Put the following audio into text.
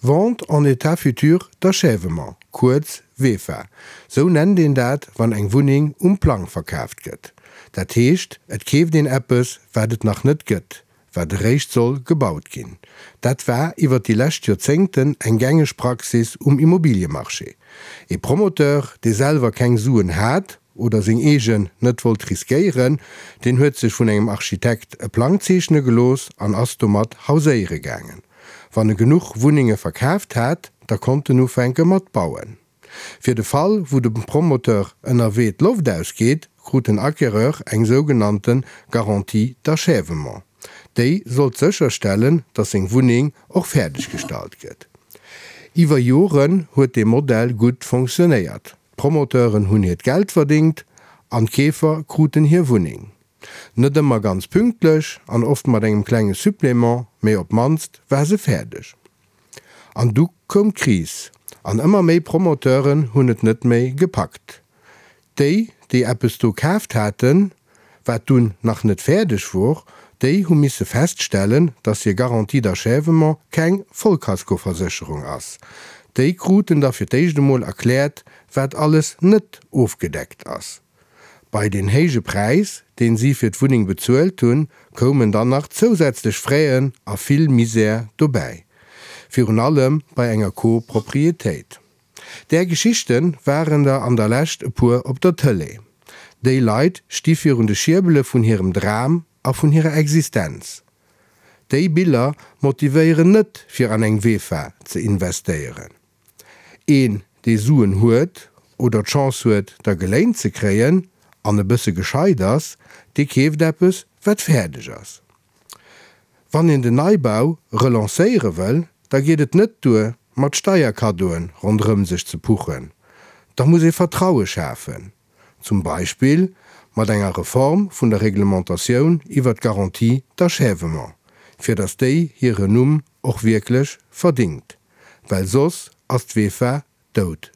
Vente en état futur d'achèvement, kuerz VEFA, sou nennt een dat, wann eng Wunneng um Plang verkaaft gëtt. Dat heescht, et keeft een eppes, wat et nach net gëtt, wat eréischt soll gebaut ginn. Dat war iwwer déi lescht Joerzéngten eng gängeg Praxis um Immobiliemarché. Ee Promoteur, dee selwer keng Suen hat oder seng eegen net wollt riskéieren, deen huet sech vun engem Architekt e Plang zeechne gelooss an ass domat hauséiere gaangen. Wann e genuch Wunnenge verkaaft hat, da konnt en ufänke mat bauen. Fir de Fall, wou dem Promoteur ënnerwee d'Loft ausgeet, krut den Acquéreur eng sougenannte Garantie d'achèvement. Déi sollt sécherstellen, datt seng Wunneng och fäerdeg gestallt gëtt. Iwwer Joren huet dee Modell gutt fonctionnéiert. D'Promoteuren hunn hiert Geld verdéngt an d'Keefer kruten hir Wunneng. Net ëmmer ganz pünktlech an oft mat engem klenge Supplément, mee op d'mannst war se fäerdeg. An du koum d'Kris an ëmmer méi Promoteuren hunn et net méi gepackt. Déi, déi eppes do kaaft haten, wat dunn nach net fäerdeg wor, déi hu misse feststellen, dass hir Garantie d'achèvement keng Vollkaskoversécherung ass. Déi kruten da fir d'éischt emol erkläert, wat alles net ofgedeckt ass. Bei deen héije Präis, deen si fir d'Wunneng bezuelt hunn, koumen dann nach zousätzlech Fraisen a vill Misär dobäi. Virun allem bei enger Co-Propriétéit. Där Geschichte waren der an der Lescht e puer op der Tëlee. Déi Leit sti virun de Schierbele vun hirem Dram a vun hirer Existenz. Déi Biller motivéieren net fir an eng VEFA ze investéieren. Een dee Suen huet oder d'Chance huet der geléint ze kréien an e bësse gescheit ass, dee keeft eppes wat fäerdeg ass. Wann een den Neibau relancéiere wëll, da geet et net duer, mat Steierkaddoen ronderëm sech ze puchen. Da muss ee Vertraue schafen, zum Beispill mat enger Reform vun der Reglementatioun iwwer d'Garantie d'achèvement, fir datt déi hire Numm och wierklech verdingt, well soss ass d'VEFA dout.